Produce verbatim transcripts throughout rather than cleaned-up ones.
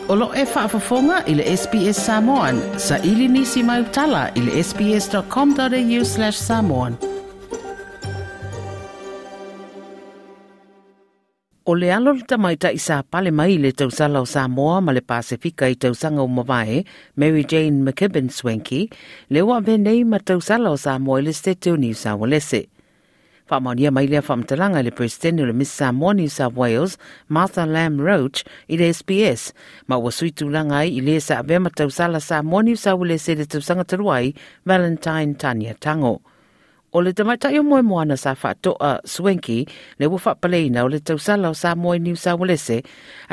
O lo e faafofoga i le S B S Samoan, sa ili nisi mai utala i le S B S dot com dot A U slash samoan. O le alo le tamaitai sa pale mai le tausala o Samoa ma le Pasifika i tausaga ua mavae, Mary Jane McKibben Swankie, le ua avea nei ma tausala o Samoa i le Setete o Niu Saualese. Faamaonia mai lea faamatalaga i le Peresetene o le Miss Samoa New South Wales, Martha Lam Roach, i le S B S, ma ua sui tulaga ai i le sa avea ma tausala Samoa New South Wales i le tausaga talu ai, Valentine Tania Tango. O le tamaitai o Moemoana sa faatoa Swankie le ua faapaleina o le tausala o Samoa i New South Wales,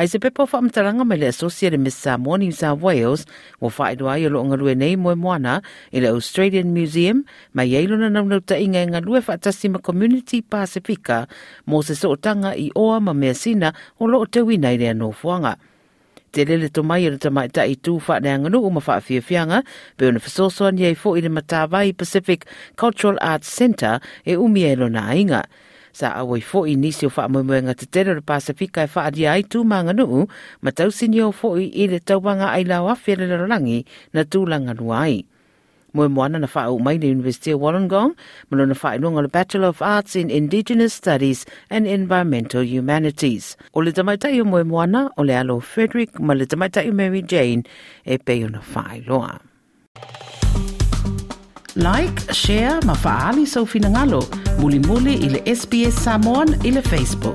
ai se pepa o faamatalaga mai le Associate Miss Samoa New South Wales ua faailoa ai o loo galue nei Moemoana i le Australian Museum ma iai lona naunautaiga e galue faatasi ma Community Pasifika mo se sootaga i oa ma measina o loo teuina i lea nofoaga. Tele le tomai o le tamaitai tu faaleaganuu ma faafiafiaga pe ona fesoasoani ai fo'i le Matavai Pacific Cultural Arts Centre e umia e lona aiga. Sa auai fo'i nisi o faamoemoega tetele o le Pasifika e faalia ai tu ma aganuu ma tausinio fo'i i le tauvaga ailao afe le lalolagi na tulaga lua ai. Moemoana na faauu mai le University of Wollongong ma lona faailoga o le Bachelor of Arts in Indigenous Studies and Environmental Humanities. O le tamaitai o Moemoana o le alo Frederick ma le tamaitai o Mary Jane e pei ona faailoa. Like, share ma faali sau finagalo. Mulimuli i le S B S Samoan i le Facebook.